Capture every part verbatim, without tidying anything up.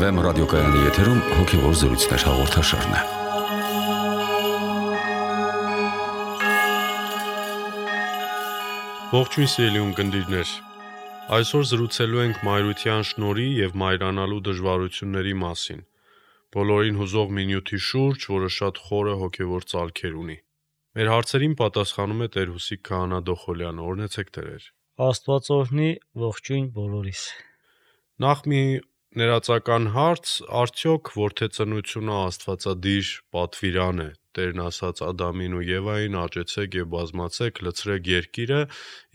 Էֆ Էմ ռադիոկայանի եթերում հոգևոր զրույցներ հաղորդաշարն է։ Ողջույն սիրելի ունկնդիրներ։ Այսօր զրուցելու ենք մայրության շնորհի եւ մայրանալու դժվարությունների մասին։ Բոլորին հուզող մի նյութի շուրջ, որը շատ խորը հոգևոր ծալքեր ունի։ Մեր հարցերին պատասխանում է Տեր Հուսիկ Քահանա Դոխոլյանը։ Օրհնեցեք Տերեր։ Աստված օրհնի, ողջույն բոլորիս։ Նախ մի ներածական հարց, արդյոք որդեծնությունը աստվածադիր պատվիրան է։ Տերն ասաց Ադամին ու Եվային՝ աճեցեք եւ բազմացեք, լցրեք երկիրը,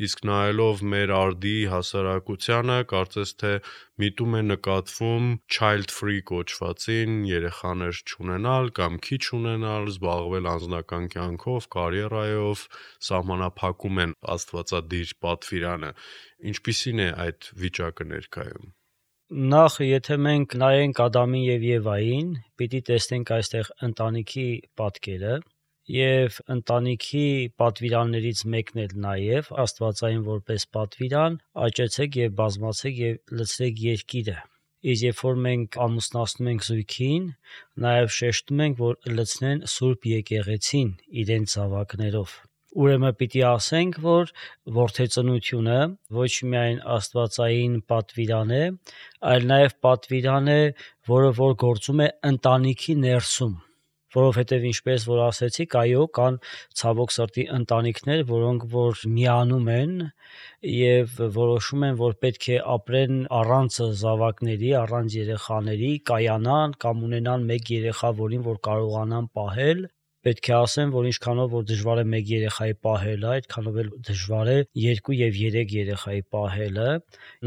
իսկ նայելով մեր արդի հասարակությանը, կարծես թե միտում է նկատվում child free կոչվածին, երեխաներ չունենալ կամ քիչ ունենալ, զբաղվել անձնական կյանքով, կարիերայով, սահմանափակում են աստվածադիր պատվիրանը։ Ինչպիսին է այդ վիճակը ներկայում։ Նախ, եթե մենք նայենք Ադամին եւ Եվային, պիտի տեսնենք այստեղ ընտանիքի պատկերը եւ ընտանիքի պատվիրաններից մեկն էլ նաեւ աստվածային որպես պատվիրան, աճեցեք եւ բազմացեք եւ լցրեք երկիրը։ Իսկ երբ որ մենք ամուսնացնում ենք զույգին, նաեւ շեշտում ենք, որ լցնեն Սուրբ եկեղեցին իրենց զավակներով։ Ուրեմն պիտի ասենք, որ որդեծնությունը ոչ միայն աստվածային պատվիրան է, այլ նաև պատվիրան է, որը որ գործում է ընտանիքի ներսում, որովհետև ինչպես որ ասեցիք, այո, կան ցավոք սրտի ընտանիքներ, որոնք որ միանում են եւ որոշում են, որ պետք է ապրեն առանց զավակների, առանց երեխաների, կայանան կամ ունենան մեկ երեխա, որին որ կարողանան պահել։ Պետք է ասեմ, որ ինչքանով որ դժվար է մեկ երեխայի պահելը, այդքանով էլ դժվար է երկու եւ երեք երեխայի պահելը։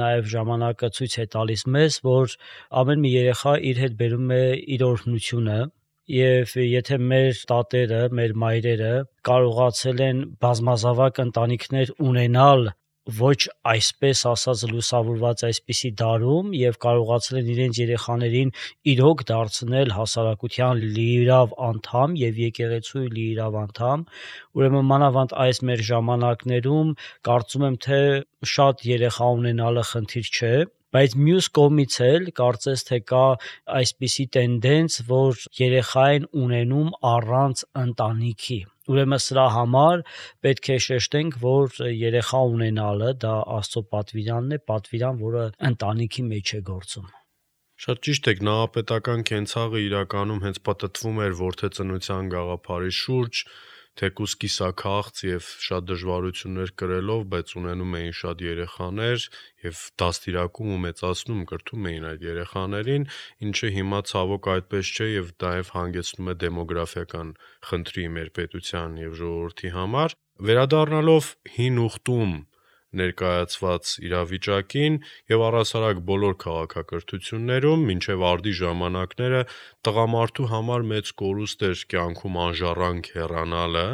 Նաեւ ժամանակը ցույց է տալիս մեզ, որ ամեն մի երեխա իր հետ բերում է իր օրհնությունը, եւ եթե մեր տատերը, մեր մայրերը կարողացել են բազմազավակ ընտանիքներ ունենալ ոչ այսպես ասած լուսավորված այսպիսի դարում եւ կարողացել են իրենց երեխաներին իրոք դարձնել հասարակության լիիրավ անդամ եւ եկեղեցու լիիրավ անդամ, ուրեմն մանավանդ այս մեր ժամանակներում կարծում եմ թե շատ երեխա ունենալը խնդիր չէ, բայց մյուս կողմից էլ կարծես թե կա այսպիսի տենդենց, որ երեխա են ունենում առանց ընտանիքի։ Ուրեմն սրա համար պետք է շեշտենք, որ երեխա ունենալը դա Աստծո պատվիրանն է, պատվիրան, որը ընտանիքի մեջ է գործում։ Շատ ճիշտ եք, նահապետական կենցաղը իրականում հենց պատտվում էր որդեծնության գաղափարի շուրջ, թեկուզ կիսաքաղց եւ շատ դժվարություններ կրելով, բայց ունենում էին շատ երեխաներ եւ դաստիարակում ու մեծացնում կրթում էին այդ երեխաներին, ինչը հիմա ցավոք այդպես չէ եւ նաեւ հանգեցնում է դեմոգրաֆիական խնդրի մեր պետության եւ ժողովրդի համար։ Վերադառնալով հին ուխտում ներկայացված իրավիճակին եւ առասարակ բոլոր քաղաքակրթություններում մինչեւ արդի ժամանակները տղամարդու համար մեծ կորուստ էր կյանքում անժառանգ հեռանալը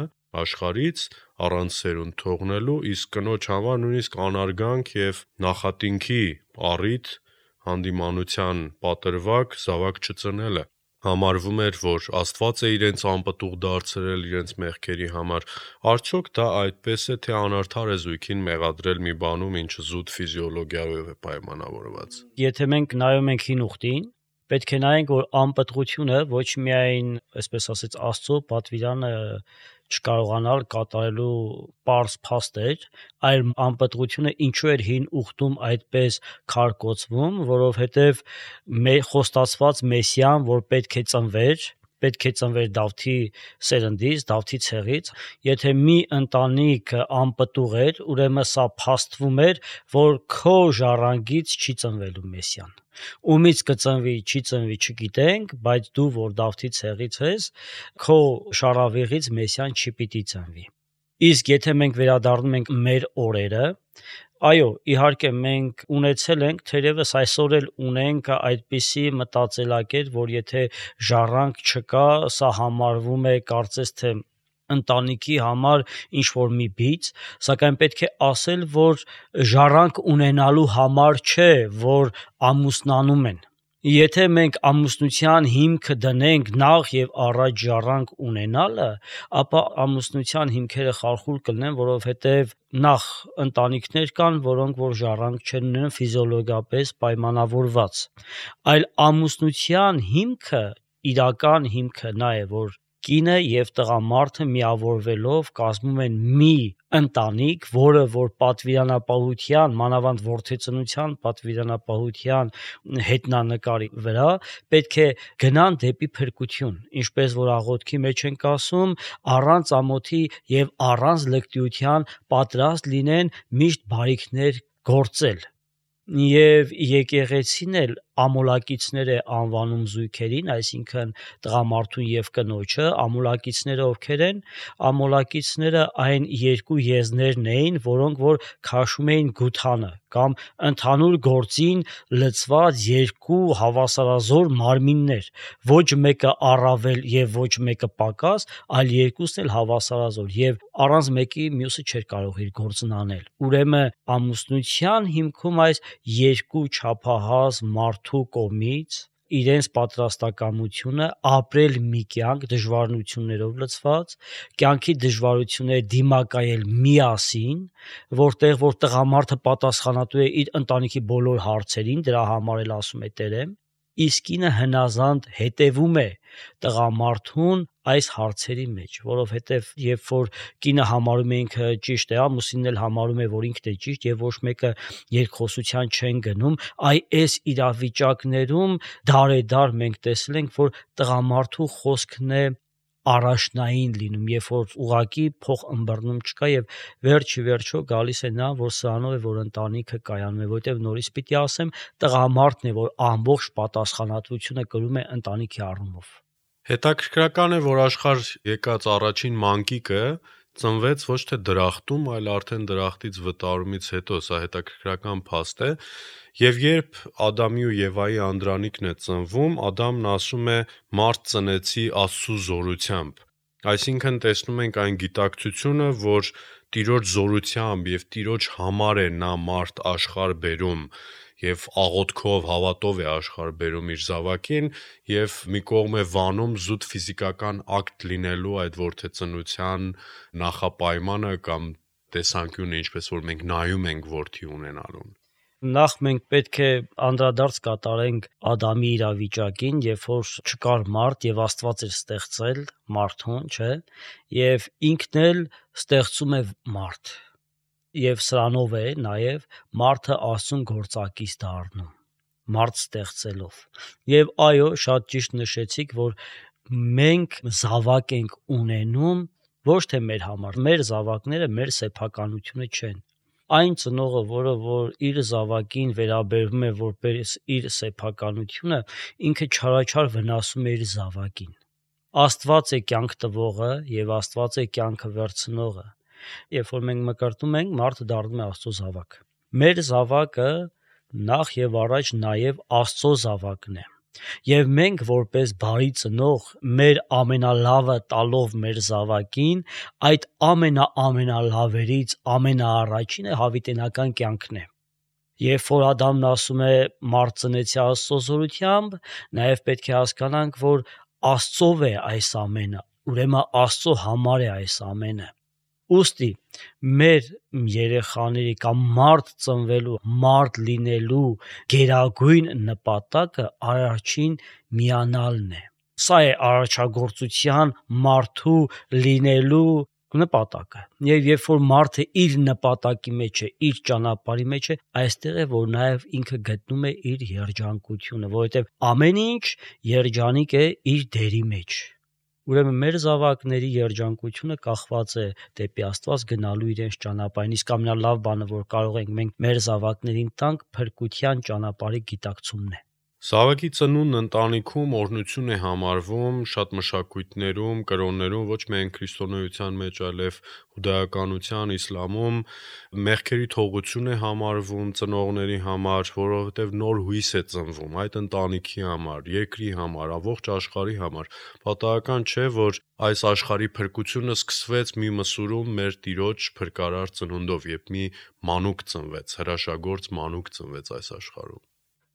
աշխարհից առանց սերունդ թողնելու, իսկ կնոջ համար նույնիսկ անարգանք եւ նախատինքի առիթ հանդիմանության պատրվակ զավակ չծնելը համարվում էր, որ Աստված է իրենց անպտուղ դարձրել իրենց մեղքերի համար։ Արդյոք դա այդպես է, թե անարդար է զույգին մեղադրել մի բանում, ինչը զուտ ֆիզիոլոգիայով է պայմանավորված։ Եթե մենք նայում ենք հին ուխտին, պետք է նայենք, որ անպտղությունը ոչ միայն, այսպես ասած, Աստծո պատվիրանը չկարողանալ կատարելու պարզ փաստ էր, այլ անպտղությունը ինչու էր հին ուխտում այդպես քարկոծվում, որովհետև մեր խոստացված Մեսիան, որ պետք է ծնվեր, պետք է ծնվեր Դավթի սերնդից, Դավթի ցեղից, եթե մի ընտանիք անպտուղ էր, ուրեմն սա փաստվում էր, որ քո ժառանգից չի ծնվելու Մեսիան։ Ումից կծնվի, չի ծնվի չգիտենք, բայց դու որ Դավթի ցեղից ես, քո շարավիղից Մեսիան չի պիտի ծնվի։ Իսկ եթե մենք վերադառնում ենք մեր օրերը, այո, իհարկե մենք ունեցել ենք, թերևս այսօր էլ ունենք այդպիսի մտածելակերպ, որ եթե ժառանգ չկա, սա համարվում է կարծես թե ընտանիքի համար ինչ որ մի բիծ, սակայն պետք է ասել, որ ժառանգ ունենալու համար չէ, որ ամուսնանում են։ Եթե մենք ամուսնության հիմքը դնենք նախ եւ առաջ ժառանգ ունենալը, ապա ամուսնության հիմքերը խարխուլ կլինեն, որովհետեւ նախ ընտանիքներ կան, որոնք որ ժառանգ չեն ունենում ֆիզիոլոգիապես պայմանավորված, այլ ամուսնության հիմքը, իրական հիմքը նա է, որ կինը եւ տղամարդը միավորվելով կազմում են մի ընտանիք, որը որ պատվիրանապահության, մանավանդ որդեծնության պատվիրանապահության հետնանկարի վրա պետք է գնան դեպի փրկություն, ինչպես որ աղոթքի մեջ ենք ասում, առանց ամոթի եւ առանց լկտիության պատրաստ լինեն միշտ բարիքներ գործել։ Եվ եկեղեցին էլ ամոլակիցներ է անվանում զույգերին, այսինքն տղամարդուն եւ կնոջը, ամոլակիցները ովքեր են, ամոլակիցները այն երկու եզներն էին, որոնք որ քաշում էին գութանը կամ ընդհանուր գործին լցված երկու հավասարազոր մարմիններ, ոչ մեկը առավել եւ ոչ մեկը պակաս, այլ երկուսն էլ հավասարազոր եւ առանց մեկի մյուսը չէր կարող իր գործն անել։ Ուրեմն ամուսնության հիմքում այս երկու չափահաս մարդու կողմից իրենց պատրաստակամությունը ապրել մի կյանք դժվարություններով լցված, կյանքի դժվարությունները դիմակայել միասին, որտեղ որ տղամարդը պատասխանատու է իր ընտանիքի բոլոր հարցերին, դրա համար էլ ասում է Տերը, իսկ կինը հնազանդ հետևում է տղամարդուն այս հարցերի մեջ, որովհետև երբ որ կինը համարում է ինքը ճիշտ է, ամուսինն էլ համարում է, որ ինքն է ճիշտ եւ ոչ մեկը երկխոսության չեն գնում, այ այս իրավիճակներում դարեդար մենք տեսել ենք, որ տղամարդու խոսքն է առաջնային լինում, երբ որ ուղակի փող ըմբռնում չկա եւ վերջի վերջո գալիս է նա, որ սրանով է որ ընտանիքը կայանում է, որտեւ նորից պիտի ասեմ, տղամարդն է, որ ամբողջ պատասխանատվությունը կրում է ընտանիքի առումով։ Հետաքրքրական է, որ աշխարհ եկած առաջին մանկիկը ծնվեց ոչ թե դրախտում, այլ արդեն դրախտից վտարումից հետո, սա հետաքրքրական փաստ է, եւ երբ Ադամի ու Եվայի անդրանիկն է ծնվում, Ադամն ասում է. «Մարդ ծնեցի Աստծու զորությամբ», այսինքն տեսնում ենք այն գիտակցությունը, որ Տիրոջ զորությամբ եւ Տիրոջ համար է նա մարդ աշխարհ բերում եւ աղոթքով, հավատով է աշխարհ բերում իր զավակին եւ մի կողմ է վանում զուտ ֆիզիկական ակտ լինելու այդ որդեծնության նախապայմանը կամ տեսանկյունը, ինչպես որ մենք նայում ենք որդի ունենալուն։ Նախ մենք պետք է անդրադարձ կատարենք Ադամի իրավիճակին, երբ որ չկար մարդ եւ Աստված էր ստեղծել մարդուն, չէ՞, եւ ինքն էլ ստեղծում է մարդ։ Եվ սրանով է նաև մարդը Աստծուն գործակից դառնում, մարդ ստեղծելով։ Եվ այո, շատ ճիշտ նշեցիք, որ մենք զավակ ենք ունենում ոչ թե մեր համար, մեր զավակները մեր սեփականությունը չեն։ Այն ծնողը, որը որ իր զավակին վերաբերվում է որպես իր սեփականությունը, ինքը չարաչար վնասում է իր զավակին։ Աստված է կյանք տվողը եւ Աստված է կյանքը վերցնողը։ Երբ որ մենք մկրտում ենք, մարդը դառնում է Աստծո զավակ։ Մեր զավակը նախ եւ առաջ նաեւ Աստծո զավակն է։ Եվ մենք որպես բարի ծնող մեր ամենալավը տալով մեր զավակին, այդ ամենաամենալավերից ամենաառաջինը հավիտենական կյանքն է։ Երբ որ Ադամն ասում է մարդ ծնեցի Աստծո զորությամբ, նաեւ պետք է հասկանանք, որ Աստծով է այս ամենը, ուրեմն Աստծո համար է այս ամենը։ Ուստի մեր երեխաների կամ մարդ ծնվելու, մարդ լինելու գերագույն նպատակը առաջին միանալն է։ Սա է արարչագործության մարդու լինելու նպատակը։ Եվ երբ որ մարդը իր նպատակի մեջ է, իր ճանապարհի մեջ է, այստեղ է որ նաև ինքը գտնում է իր երջանկությունը, որովհետև ամեն ինչ երջանիկ է իր դերի մեջ։ Ուրեմն մեր զավակների երջանկությունը կախված է դեպի Աստված գնալու իրենց ճանապարհին, իսկ ամենալավ բանը, որ կարող ենք մենք մեր զավակներին տանք, փրկության ճանապարհի գիտակցումն է։ Զավակի ծնունդն ընտանիքում օրհնություն է համարվում շատ մշակույթներում, կրոններում, ոչ միայն քրիստոնեության մեջ, այլև հուդայականության, իսլամում մեղքերի թողություն է համարվում ծնողների համար, որովհետև նոր հույս է ծնվում այդ ընտանիքի համար, երկրի համար, ամբողջ աշխարհի համար։ Պատահական չէ, որ այս աշխարհի փրկությունը սկսվեց մի մսուրում մեր Տիրոջ փրկարար ծնունդով, երբ մի մանուկ ծնվեց, հրաշագործ մանուկ ծնվեց այս աշխարհում։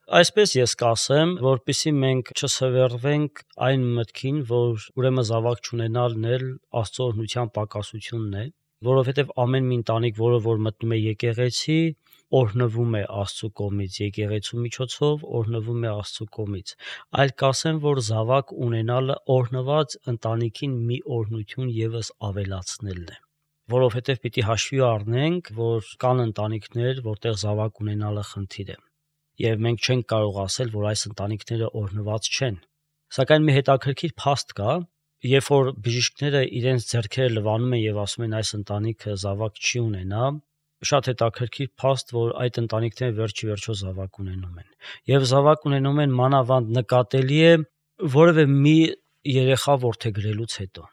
Այսպես ես կասեմ, որպեսզի մենք չսվերվենք այն մտքին, որ ուրեմն զավակ չունենալն էլ Աստծո օրհնության պակասությունն է, որովհետև ամեն մի ընտանիք, որը որ մտնում է եկեղեցի, օրհնվում է Աստծո կողմից, եկեղեցու միջոցով օրհնվում է Աստծո կողմից։ Այլ կասեմ, որ զավակ ունենալը օրհնված ընտանիքին մի օրհնություն եւս ավելացնելն է, որովհետև պիտի հաշվի առնենք, որ կան ընտանիքներ, որտեղ զավակ ունենալը խնդիր է։ Եվ մենք չենք կարող ասել, որ այս ընտանիքները օրհնված չեն։ Սակայն մի հետաքրքիր փաստ կա, երբ որ բժիշկները իրենց ձեռքերը լվանում են եւ ասում են այս ընտանիքը զավակ չի ունենա, շատ հետաքրքիր փաստ, որ այդ ընտանիքները վերջի վերջո զավակ ունենում են։ Եվ զավակ ունենում են մանավանդ նկատելի է որևէ մի երեխա որդեգրելուց հետո։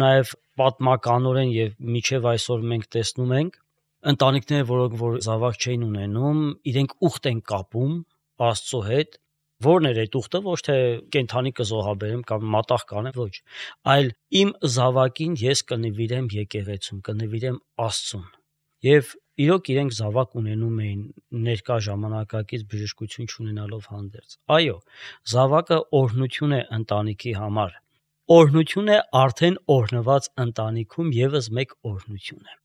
Նաեւ պատմականորեն եւ միջև այսօր մենք տեսնում ենք ընտանիքները, որոնք որ զավակ չէին ունենում, իրենք ուխտ են կապում Աստծո հետ, որն էր այդ ուխտը, ոչ թե կենթանի կզոհաբերեմ կամ մատաղ կանեմ, ոչ, այլ իմ զավակին ես կնվիրեմ եկեղեցուն, կնվիրեմ Աստծուն։ Եվ իրոք իրենք զավակ ունենում էին ներկա ժամանակակից բժշկություն չունենալով հանդերձ։ Այո, զավակը օրհնություն է ընտանիքի համար։ Օրհնություն է արդեն օրհնված ընտանիքում եւս մեկ օրհնություն է։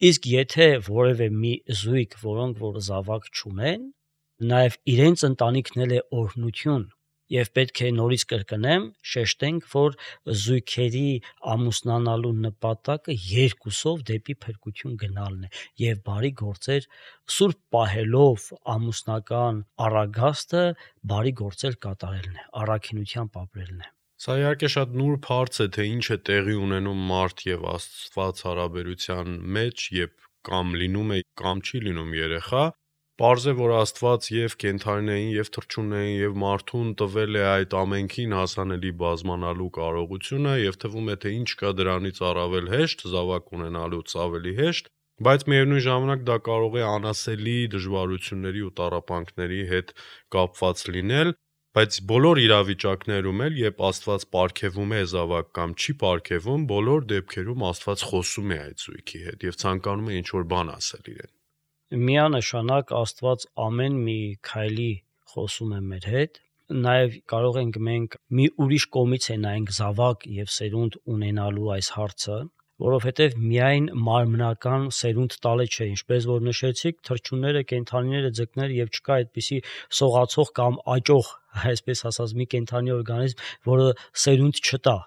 Իսկ եթե որևէ մի զույգ, որոնք որ զավակ չունեն, նաև իրենց ընտանիքն էլ է օրհնություն, եւ պետք է նորից կրկնեմ, շեշտենք, որ զույգերի ամուսնանալու նպատակը երկուսով դեպի փրկություն գնալն է եւ բարի գործեր սուրբ պահելով ամուսնական առագաստը բարի գործեր կատարելն է, առաքինությամբ ապրելն է։ Սա իհարկե շատ նուրբ հարց է, թե ինչ է տեղի ունենում մարդ եւ Աստված հարաբերության մեջ, երբ կամ լինում է կամ չի լինում երեխա։ Պարզ է, որ Աստված եւ կենդանիներին եւ թռչուններին եւ մարդուն տվել է այդ ամենքին հասանելի բազմանալու կարողությունը եւ թվում է, թե ինչ կա դրանից առավել հեշտ, զավակ ունենալուց ավելի հեշտ, բայց միևնույն ժամանակ դա կարող է անասելի դժվարությունների ու տառապանքների հետ կապված լինել։ Բայց բոլոր իրավիճակներում էլ, երբ Աստված պարգևում է զավակ կամ չի պարգևում, բոլոր դեպքերում Աստված խոսում է այդ զույգի հետ եւ ցանկանում է ինչ-որ բան ասել իրեն։ Միանշանակ Աստված ամեն մի քայլի խոսում է մեր հետ, նաեւ կարող ենք մենք մի ուրիշ կողմից է նայենք զավակ եւ սերունդ ունենալու այս հարցը, որովհետեւ միայն մարմնական սերունդ տալը չէ, ինչպես որ նշեցիք, թռչունները, կենդանիները, ձկները եւ չկա այդպիսի սողացող կամ աճող, այսպես ասած, մի կենդանի օրգանիզմ, որը սերունդ չտա։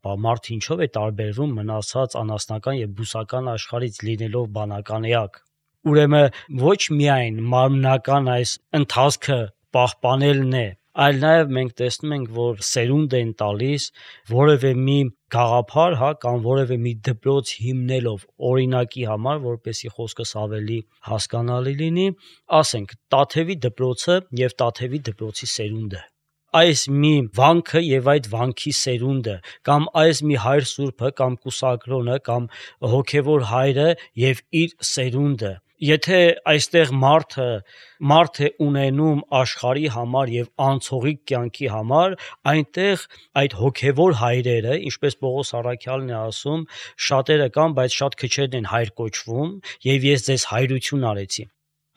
Բա մարդ ինչով է տարբերվում մնացած անասնական եւ բուսական աշխարհից լինելով բանական էակ։ Ուրեմն ոչ միայն մարմնական այս ընթացքը պահպանելն է, այլ նաև մենք տեսնում ենք, որ սերունդ են տալիս որևէ մի գաղափար, հա, կամ որևէ մի դպրոց հիմնելով օրինակի համար, որպեսի խոսքս ավելի հասկանալի լինի, ասենք Տաթևի դպրոցը եւ Տաթևի դպրոցի սերունդը։ Այս մի վանքը եւ այդ վանքի սերունդը, կամ այս մի հայր սուրբը, կամ կուսակրոնը, կամ հոգեվոր հայրը եւ իր սերունդը։ Եթե այստեղ մարդը մարդ է ունենում աշխարհի համար եւ անցողիկ կյանքի համար, այնտեղ այդ հոգեվոր հայրերը, ինչպես Պողոս առաքյալն է ասում, շատերը կան, բայց շատ քչերն են հայր կոչվում, եւ ես ձեզ հայրություն արեցի։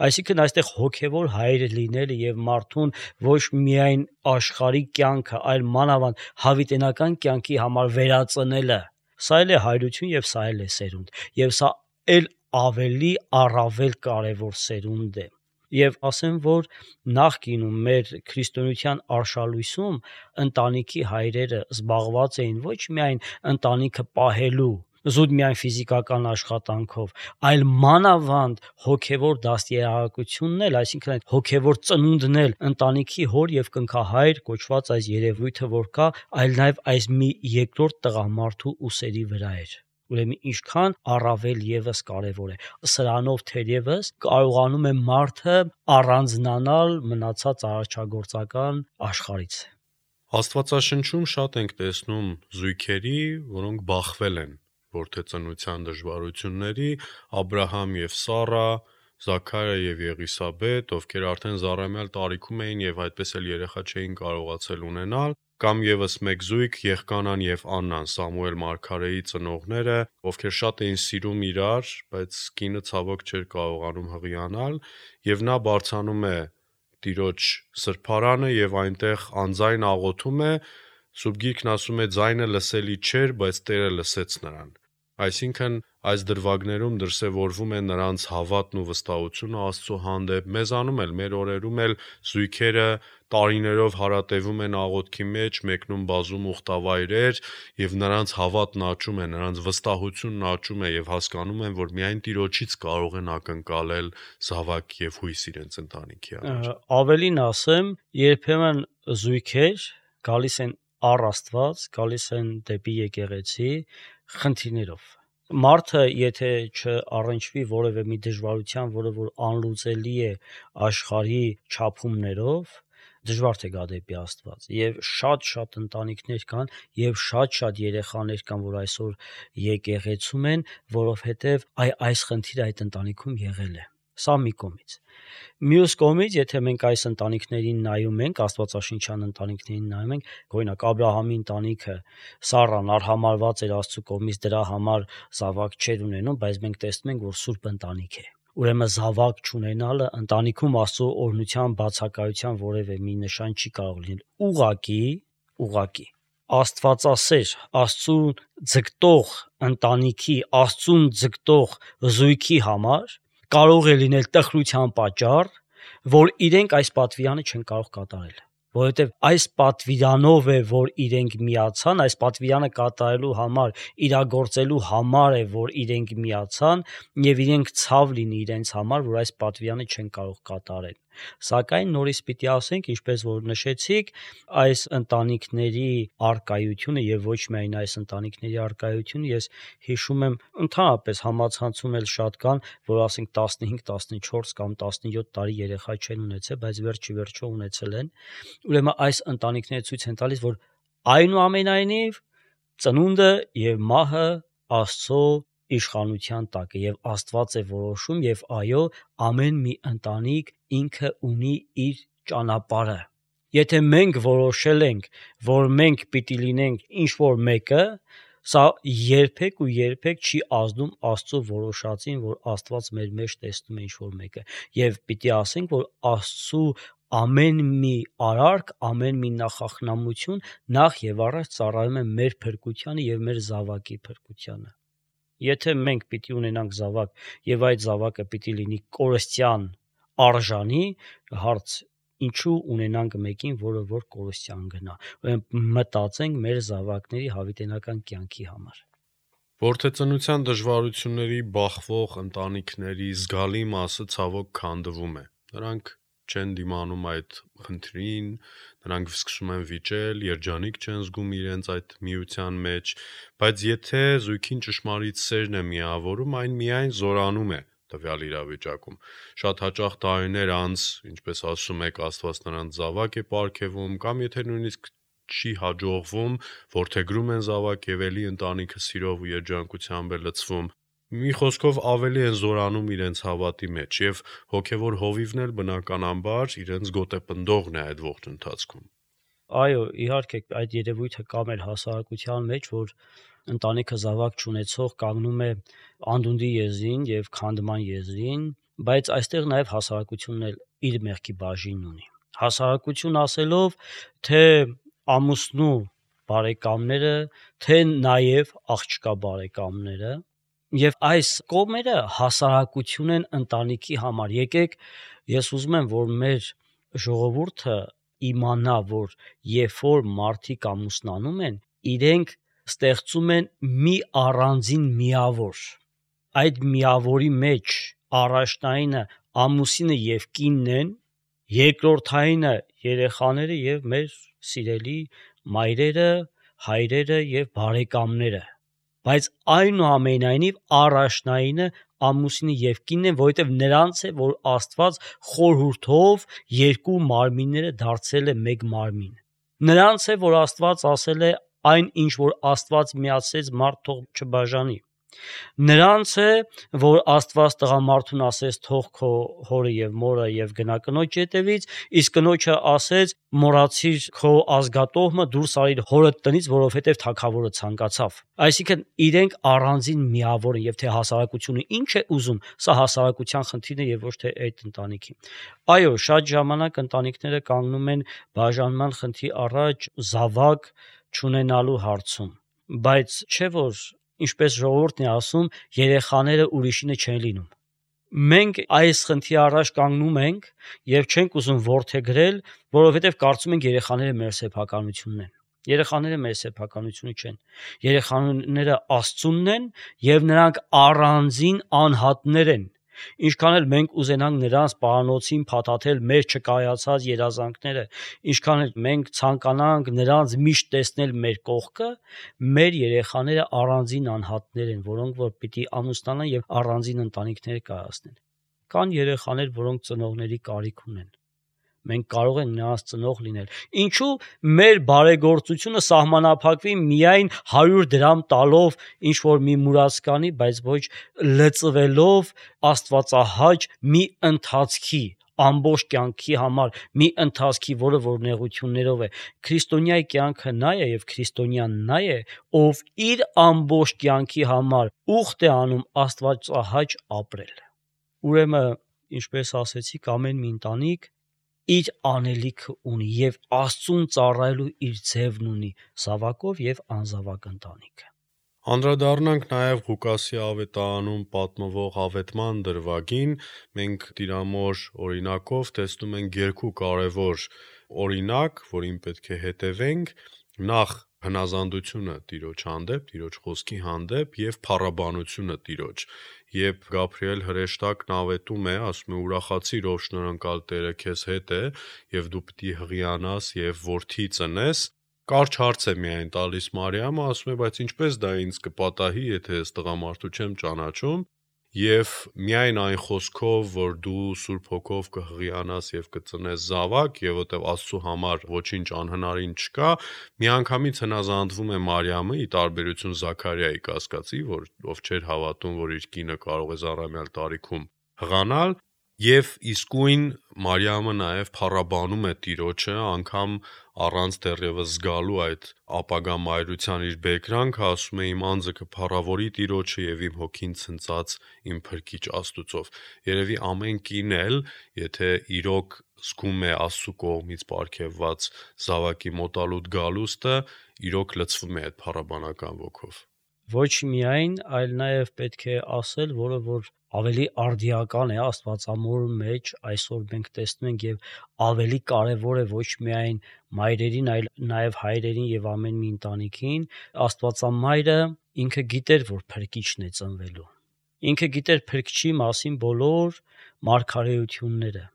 Այսինքն այստեղ հոգեվոր հայր լինելը եւ մարդուն ոչ միայն աշխարհի կյանքը, այլ մանավանդ հավիտենական կյանքի համար վերածնելը, սա էլ է հայրություն եւ սա էլ է սերունդ, եւ սա էլ ավելի առավել կարևոր սերունդ է։ Եվ ասեմ, որ նախկինում մեր քրիստոնեության արշալույսում ընտանիքի հայրերը զբաղված էին ոչ միայն ընտանիքը պահելու, զուտ միայն ֆիզիկական աշխատանքով, այլ մանավանդ հոգևոր դաստիարակությունն էլ, այսինքն այդ հոգևոր ծնունդն էլ ընտանիքի հոր եւ կնքահայր կոչված այս երևույթը որ կա, այլ նաեւ այս մի երկրորդ տղամարդու ուսերի վրա էր։ Ուրեմն ինչքան առավել եւս կարևոր է։ Սրանով թերևս կարողանում է մարդը առանձնանալ մնացած արարչագործական աշխարհից։ Աստվածաշնչում շատ ենք տեսնում զույգերի, որոնք բախվել են որդեծնության դժվարությունների, Աբրահամ եւ Սառա, Զաքարիա եւ Եղիսաբեթ, ովքեր արդեն զառամյալ տարիքում էին եւ այդպես էլ երեխա չէին կարողացել ունենալ, կամ եւս մեկ զույգ Եղկանան եւ Աննան, Սամուել մարգարեի ծնողները, ովքեր շատ էին սիրում իրար, բայց կինը ցավոք չէր կարողանում հղիանալ, եւ նա բարձանում է Տիրոջ սրբարանը եւ այնտեղ անձայն աղոթում է, Սուրբ Գիրքն ասում է ձայնը լսելի չէր, բայց Տերը լսեց նրան։ Այսինքն այս դրվագներում դրսևորվում է նրանց հավատն ու վստահությունը Աստծո հանդեպ, մեզանում էլ, մեր օրերում էլ զույգերը տարիներով հարատևում են աղոթքի մեջ, մեկնում բազում ուխտավայրեր եւ նրանց հավատն աճում է, նրանց վստահությունն աճում է եւ հասկանում են, որ միայն Տիրոջից կարող են ակնկալել զավակ եւ հույս իրենց ընտանիքի համար։ Ավելին ասեմ, երբեմն զույգեր գալիս են առ Աստված, գալիս են դեպի եկեղեցի խնդիրներով։ Մարդը, եթե չառնչվի որևէ մի դժվարության, որը որ անլուծելի է աշխարհի չափումներով, դժվար թե գա դեպի Աստված։ Եվ շատ-շատ ընտանիքներ կան, եւ շատ-շատ երեխաներ կան, որ այսօր եկեղեցում են, որովհետեւ այ այս խնդիրը այդ ընտանիքում եղել է։ Սա մի կողմից։ Մյուս կողմից, եթե մենք այս ընտանիքներին նայում ենք, Աստվածաշնչյան ընտանիքներին նայում ենք, օրինակ Աբրահամի ընտանիքը Սառան արհամարված էր Աստծո կողմից, դրա համար զավակ չէր ունենում, բայց մենք տեսնում ենք, որ սուրբ ընտանիք է։ Ուրեմն զավակ չունենալը ընտանիքում Աստծո օրհնության բացակայության որևէ մի նշան չի կարող լինել։ Ուղղակի, ուղղակի Աստվածասեր, Աստծուն ձգտող ընտանիքի, Աստծուն ձգտող զույգի համար կարող է լինել տխրության պատճառ, որ իրենք այս պատվիրանը չեն կարող կատարել, որովհետև այս պատվիրանով է, որ իրենք միացան, այս պատվիրանը կատարելու համար, իրագործելու համար է, որ իրենք միացան, եւ իրենք ցավ լինի իրենց համար, որ այս պատվիրանը չեն կարող կատարել։ Սակայն նորից պիտի ասենք, ինչպես որ նշեցիք, այս ընտանիքների արկայությունը եւ ոչ միայն այս ընտանիքների արկայությունը, ես հիշում եմ ընդհանրապես համացանցում էլ շատ կան, որ ասենք տասնհինգ, տասնչորս կամ տասնյոթ տարի երեխա չեն ունեցել, բայց վերջի վերջո ունեցել են։ Ուրեմն այս ընտանիքները ցույց են տալիս, որ այնուամենայնիվ ծնունդը եւ մահը Աստծո իշխանության տակ է եւ Աստված է որոշում եւ այո, ամեն մի ընտանիք ինքը ունի իր ճանապարհը։ Եթե մենք որոշել ենք, որ մենք պիտի լինենք ինչ-որ մեկը, սա երբեք ու երբեք չի ազդում Աստծո որոշածին, որ Աստված մեր մեջ տեսնում է ինչ-որ մեկը։ Եվ պիտի ասենք, որ Աստծո ամեն մի արարք, ամեն մի նախախնամություն նախ եւ առաջ ծառայում է մեր փրկությանը եւ մեր զավակի փրկությանը։ Եթե մենք պիտի ունենանք զավակ եւ այդ զավակը պիտի լինի կորստյան արժանի, հարց ինչու ունենանք մեկին, որը որ կորստյան գնա։ Ուրեմն մտածենք մեր զավակների հավիտենական կյանքի համար։ Որդեծնության դժվարությունների բախվող ընտանիքների զգալի մասը ցավոք քանդվում է։ Նրանք չեն դիմանում այդ խնդրին, նրանք սկսում են վիճել, երջանիկ չեն զգում իրենց այդ միության մեջ, բայց եթե զույգին ճշմարիտ սերն է միավորում, այն միայն զորանում է տվյալ իրավիճակում։ Շատ հաճախ տարիներ անց, ինչպես ասում եք, Աստված նրանց զավակ է պարգևում, կամ եթե նույնիսկ չի հաջողվում, որդեգրում են զավակ եւ էլի ընտանիքը սիրով ու երջանկությամբ է լցվում։ Մի խոսքով ավելի են զորանում իրենց հավատի մեջ եւ հոգեվոր հովիվն էլ բնականաբար իրենց գոտեպնդողն է այդ ողջ ընթացքում։ Այո, իհարկե այդ երևույթը կա մեր հասարակության մեջ, որ ընտանիքը զավակ չունեցող կանգնում է անդունդի եզրին եւ քանդման եզրին, բայց այստեղ նաեւ հասարակությունն էլ իր մեղքի բաժինն ունի։ Հասարակություն ասելով, թե ամուսնու բարեկամները, թե նաեւ աղջկա բարեկամները, եւ այս կողմերը հասարակություն են ընտանիքի համար։ Եկեք, ես ուզում եմ, որ մեր ժողովուրդը իմանա, որ երբ որ մարդիկ ամուսնանում են, իրենք ստեղծում են մի առանձին միավոր։ Այդ միավորի մեջ առաջնայինը ամուսինը եւ կինն են, երկրորդայինը երեխաները եւ մեր սիրելի մայրերը, հայրերը եւ բարեկամները։ Բայց այնուամենայնիվ առաջնայինը ամուսինը եւ կինն են, որովհետեւ նրանց է, որ Աստված խորհուրդով երկու մարմինները դարձել է մեկ մարմին։ Նրանց է, որ Աստված ասել է այն ինչ որ Աստված միացրեց, մարդ թող չբաժանի։ Նրանց է, որ Աստված տղամարդուն ասեց թող քո հորը եւ մորը եւ գնա կնոջ ետևից, իսկ կնոջը ասեց մոռացիր քո ազգատոհը դուրս արիր հորդ տնից, որովհետեւ թագավորը ցանկացավ։ Այսինքն իրենք առանձին միավոր են եւ թե հասարակությունը ինչ է ուզում, սա հասարակության խնդիրն է եւ ոչ թե այդ ընտանիքի։ Այո, շատ ժամանակ ընտանիքները կանգնում են բաժանման խնդրի առաջ զավակ չունենալու հարցում, բայց չէ որ ինչպես ժողովուրդն է ասում, երեխաները ուրիշինը չեն լինում։ Մենք այս խնդրի առաջ կանգնում ենք եւ չենք ուզում որդեգրել, որովհետեւ կարծում ենք երեխաները մեր սեփականությունն են։ Երեխաները մեր սեփականությունը չեն։ Երեխաները Աստծունն են եւ նրանք առանձին անհատներ են։ Ինչքան էլ մենք ուզենանք նրանց պարանոցին փաթաթել մեր չկայացած երազանքները, ինչքան էլ մենք ցանկանանք նրանց միշտ տեսնել մեր կողքը, մեր երեխաները առանձին անհատներ են, որոնք որ պիտի ամուսնանան եւ առանձին ընտանիքներ կայացնեն։ Կան երեխաներ, որոնք ծնողների կարիք ունեն։ Մենք կարող ենք նրանց ծնող լինել։ Ինչու մեր բարեգործությունը սահմանափակվի միայն հարյուր դրամ տալով ինչ որ մի մուրացկանի, բայց ոչ լծվելով աստվածահաճ մի ընթացքի ամբողջ կյանքի համար մի ընթացքի, որը որ նեղություններով է։ Քրիստոնյայի կյանքը նա է եւ քրիստոնյան նա է, ով իր ամբողջ կյանքի համար ուխտ է անում աստվածահաճ ապրել։ Ուրեմն, ինչպես ասեցիք, ամեն մի ընտանիք իր անելիքը ունի եւ Աստծուն ծառայելու իր ձևն ունի՝ զավակով եւ անզավակ ընտանիքը։ Անդրադառնանք նաև Ղուկասի ավետարանում պատմվող ավետման դրվագին, մենք Տիրամոր օրինակով տեսնում ենք երկու կարևոր օրինակ, որին պետք է հետևենք, նախ հնազանդությունը Տիրոջ հանդեպ, Տիրոջ խոսքի հանդեպ եւ փառաբանությունը Տիրոջ։ Երբ Գաբրիել հրեշտակն ավետում է, ասում է ուրախացիր, ով շնորհանկալ Տերը քեզ հետ է, եւ դու պիտի հղիանաս եւ որդի ծնես, կարճ հարց է միայն տալիս Մարիամը, ասում է, բայց ինչպես դա ինձ կպատահի, եթե ես տղամարդու չեմ ճանաչում, եւ միայն այն խոսքով, որ դու Սուրբ Հոգով կհղիանաս եւ կծնես զավակ, եւ որտեւ Աստծո համար ոչինչ անհնարին չկա, միանգամից հնազանդվում է Մարիամը՝ ի տարբերություն Զաքարիայի կասկածի, որ ով չէր հավատում, որ իր կինը կարող է զառամյալ տարիքում հղանալ, եւ իսկույն Մարիամը նաեւ փառաբանում է Տիրոջը, անգամ առանց դեռևս զգալու այդ ապագա մայրության իր բեկրանքը, ասում է իմ անձը կփառավորի Տիրոջը եւ իմ հոգին ցնծած իմ փրկիչ Աստուծով։ Երևի ամեն կին էլ, եթե իրոք զգում է Աստծո կողմից պարգևված զավակի մոտալուտ գալուստը, իրոք լցվում է այդ փառաբանական ոգով։ Ոչ միայն, այլ նաև պետք է ասել, որը որ ավելի արդիական է Աստվածամոր մեջ, այսօր մենք տեսնում ենք եւ ավելի կարեւոր է ոչ միայն մայրերին, այլ նաև հայրերին եւ ամեն մի ընտանիքին, Աստվածամայրը ինքը գիտեր, որ փրկիչն է ծնվելու։ Ինքը գիտեր փրկչի մասին բոլոր մարգարեությունները։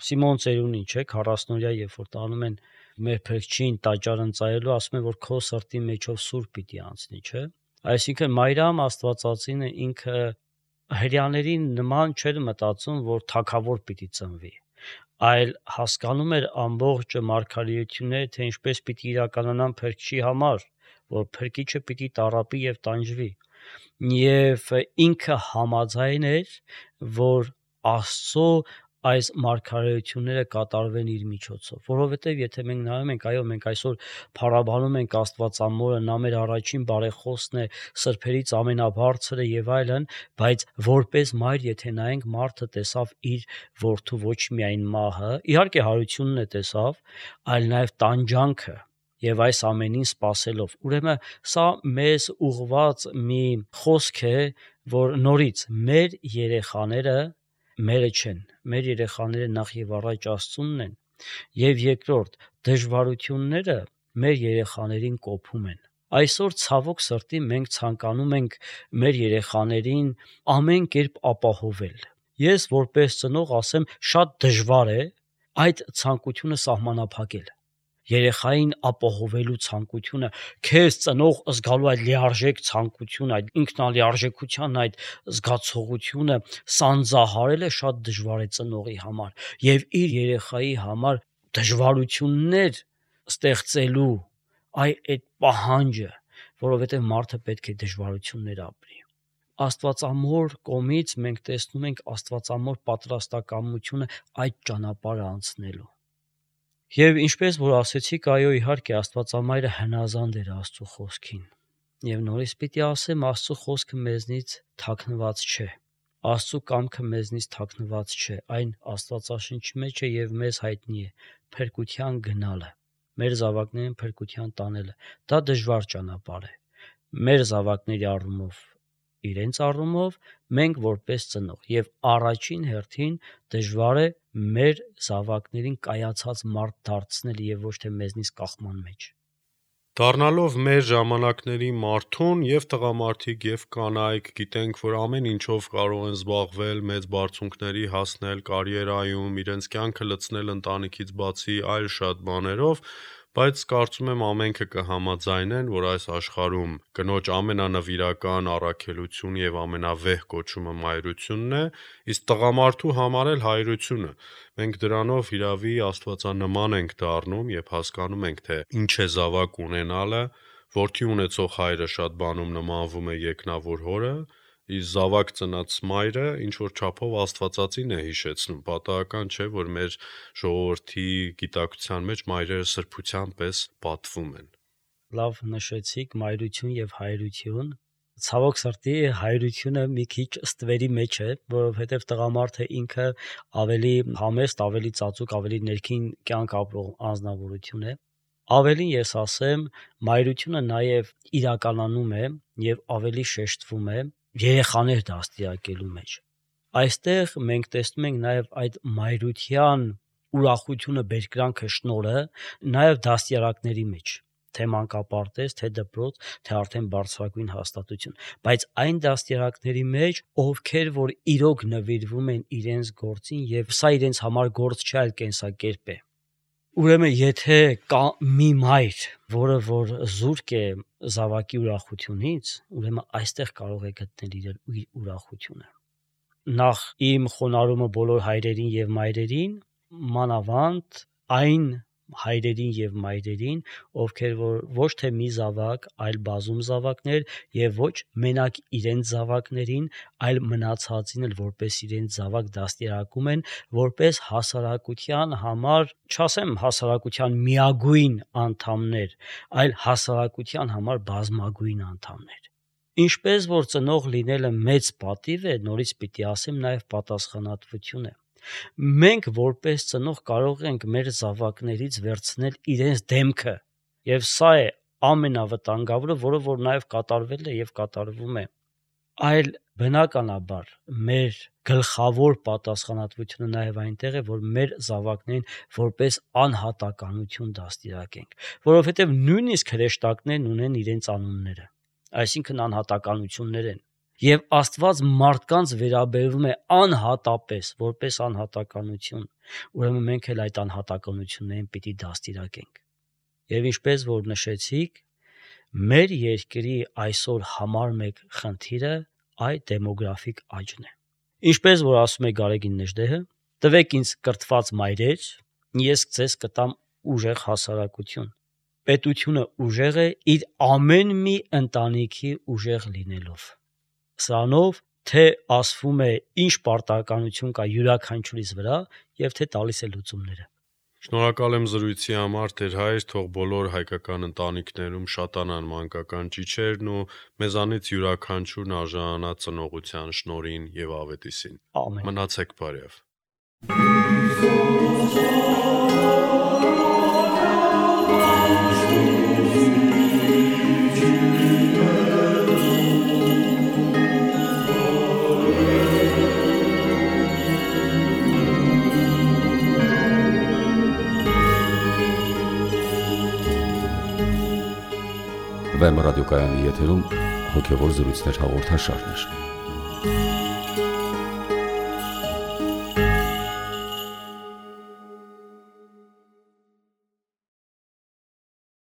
Սիմոն Ծերունին, չէ, քառասնօրյա, երբ որ տանում են մեր փրկչին տաճար ընծայելու, ասում են, որ քո սրտի մեջով սուրբ պիտի անցնի, չէ։ Այսինքն Մարիամ Աստվածածինը ինքը հрьяաներին նման չէր մտածում, որ թագավոր պիտի ծնվի, այլ հասկանում էր ամբողջ մարգարեությունները, թե ինչպես պիտի իրականանան փրկչի համար, որ փրկիչը պիտի տառապի եւ տանջվի, եւ ինքը համաձայն էր, որ Աստծո այս մարգարեությունները կատարվեն իր միջոցով, որովհետև եթե մենք նայում ենք, այո, մենք այսօր փառաբանում ենք Աստվածամորը, նա մեր առաջին բարեխոսն է, սրբերից ամենաբարձրը եւ այլն, բայց որպես մայր, եթե նայենք, մարդը տեսավ իր որդու ոչ միայն մահը, իհարկե հարությունն է տեսավ, այլ նաեւ տանջանքը եւ այս ամենին սпасելով։ Ուրեմն սա մեզ ուղված մի խոսք է, որ նորից մեր երեխաները մերը չեն, մեր երեխաները նախ եւ առաջ Աստծունն են, եւ երկրորդ, դժվարությունները մեր երեխաներին կոփում են։ Այսօր ցավոք սրտի մենք ցանկանում ենք մեր երեխաներին ամեն կերպ ապահովել։ Ես որպես ծնող ասեմ, շատ դժվար է այդ ցանկությունը սահմանափակել։ Երեխային ապահովելու ցանկությունը, քեզ ծնող զգալու այդ լիարժեք ցանկությունը, այդ ինքնալիարժեքության այդ զգացողությունը սանձահարելը շատ դժվար է ծնողի համար եւ իր երեխայի համար դժվարություններ ստեղծելու այ այդ պահանջը, որովհետեւ մարդը պետք է դժվարություններ ապրի։ Աստվածամոր կողմից մենք տեսնում ենք աստվածամոր պատրաստակամությունը այդ ճանապարհը անցնելու։ Եվ ինչպես որ ասեցիք, այո, իհարկե Աստվածամայրը հնազանդ էր Աստծո խոսքին։ Եվ նորից պիտի ասեմ, Աստծո խոսքը մեզնից թաքնված չէ։ Աստծո կամքը մեզնից թաքնված չէ, այն Աստվածաշնչի մեջ է եւ մեզ հայտնի է փրկության գնալը, մեր զավակներին փրկության տանելը։ Դա դժվար ճանապարհ է։ Մեր զավակների առումով, իրենց առումով, մենք որպես ծնող եւ առաջին հերթին դժվար է մեր զավակներին կայացած մարդ դարձնել եւ ոչ թե մեզնից կախման մեջ։ Դառնալով մեր ժամանակների մարդուն եւ տղամարդիկ եւ կանայք գիտենք, որ ամեն ինչով կարող են զբաղվել, մեծ բարձունքների հասնել կարիերայում, իրենց կյանքը լցնել ընտանիքից բացի այլ շատ բաներով, բայց կարծում եմ ամենքը կհամաձայնեն, որ այս աշխարհում կնոջ ամենանվիրական առաքելությունը եւ ամենավեհ կոչումը մայրությունն է, իսկ տղամարդու համար էլ հայրությունը։ Մենք դրանով հիրավի աստվածանման ենք դառնում եւ հասկանում ենք, թե ինչ է զավակ ունենալը, որդի ունեցող հայրը շատ բանում նմանվում է երկնավոր հորը, իսկ զավակ ծնած մայրը ինչ որ չափով աստվածածին է հիշեցնում։ Պատահական չէ, որ մեր ժողովրդի գիտակցության մեջ մայրերը սրբության պես պատվում են։ Լավ նշեցիք մայրություն եւ հայրություն։ Ցավոք սրտի հայրությունը մի քիչ ստվերի մեջ է, որովհետեւ տղամարդը ինքը ավելի համեստ, ավելի ծածուկ, ավելի ներքին կյանք ապրող անձնավորություն է։ Ավելին ես ասեմ, մայրությունը նաեւ իրականանում է եւ ավելի շեշտվում է երեխաներ դաստիարակելու մեջ։ Այստեղ մենք տեսնում ենք նաեւ այդ մայրության ուրախությունը, բերկրանքը, շնորհը նաեւ դաստիարակների մեջ, թե մանկապարտեզ, թե դպրոց, թե արդեն բարձրագույն հաստատություն, բայց այն դաստիարակների մեջ, ովքեր որ իրոք նվիրվում են իրենց գործին եւ սա իրենց համար գործ չէ, այլ կենսակերպ է։ Ուրեմն եթե կա մի մայր, որը որ զուրկ է զավակի ուրախությունից, ուրեմն այստեղ կարող է գտնել իր ուրախությունը։ Նախ իմ խոնարհումը բոլոր հայրերին եւ մայրերին, մանավանդ այն հայրերին եւ մայրերին, ովքեր որ ոչ թե մի զավակ, այլ բազում զավակներ եւ ոչ մենակ իրենց զավակներին, այլ մնացածին էլ որպես իրենց զավակ դաստիարակում են, որպես հասարակության համար, չասեմ հասարակության միագույն անդամներ, այլ հասարակության համար բազմագույն անդամներ։ Ինչպես որ ծնող լինելը մեծ պատիվ է, նորից պիտի ասեմ նաեւ պատասխանատվություն է։ Մենք որպես ծնող կարող ենք մեր զավակներից վերցնել իրենց դեմքը, եւ սա է ամենավտանգավորը, որը որ նաեւ կատարվել է եւ կատարվում է։ Այլ բնականաբար մեր գլխավոր պատասխանատվությունը նաեւ այնտեղ է, որ մեր զավակներին որպես անհատականություն դաստիարակենք, որովհետեւ նույնիսկ հրեշտակներն ունեն իրենց անունները, այսինքն անհատականություններ են։ Եվ Աստված մարդկանց վերաբերվում է անհատապես, որպես անհատականություն, ուրեմն մենք էլ այդ անհատականություններին պիտի դաստիարակենք։ Եվ ինչպես որ նշեցիք, մեր երկրի այսօր համար մեկ խնդիրը այդ դեմոգրաֆիկ աճն է։ Ինչպես որ ասում է Գարեգին Նժդեհը, տվեք ինձ կրթված մայրեր, ես ձեզ կտամ ուժեղ հասարակություն։ Պետությունը ուժեղ է իր ամեն մի ընտանիքի ուժեղ լինելով։ Սրանով թե ասվում է ինչ պարտականություն կա յուրաքանչյուրիս վրա եւ թե տալիս է լուծումները։ Շնորհակալ եմ զրույցի համար, Տեր Հայր, թող բոլոր հայկական ընտանիքներում շատանան մանկական ճիչերն ու մեզանից յուրաքանչյուրն արժանանա ծնողության շնորհին եւ ավետիսին։ Ամեն։ Մնացեք բարյավ։ Վեմ ռադիոկայանի եթերում հոգևոր զրույցներ հաղորդաշարներ։